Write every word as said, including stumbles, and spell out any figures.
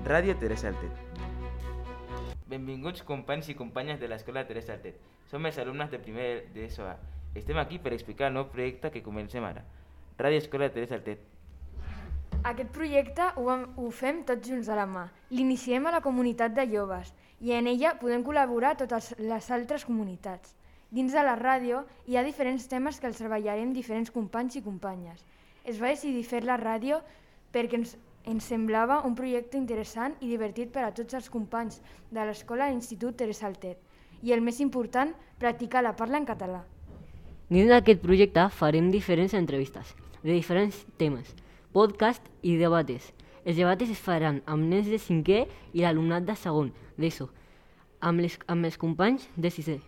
Ràdio Teresa Altet. Benvinguts companys i companyes de l'Escola Teresa Altet. Som els alumnes de primer d'ESO A. Estem aquí per explicar el nou projecte que comencem ara. Ràdio Escola Teresa Altet. Aquest projecte ho, ho fem tots junts de la mà. L'iniciem a la comunitat de joves i en ella podem col·laborar totes les altres comunitats. Dins de la ràdio hi ha diferents temes que els treballarem diferents companys i companyes. Es va decidir fer la ràdio perquè ens, ens semblava un projecte interessant i divertit per a tots els companys de l'escola i l'Institut Teresa Altet. I el més important, practicar la parla en català. Dins d'aquest projecte farem diferents entrevistes de diferents temes, podcast i debates. Els debates es faran amb nens de cinquè i l'alumnat de segon d'ESO, amb, les, amb els companys de sisè.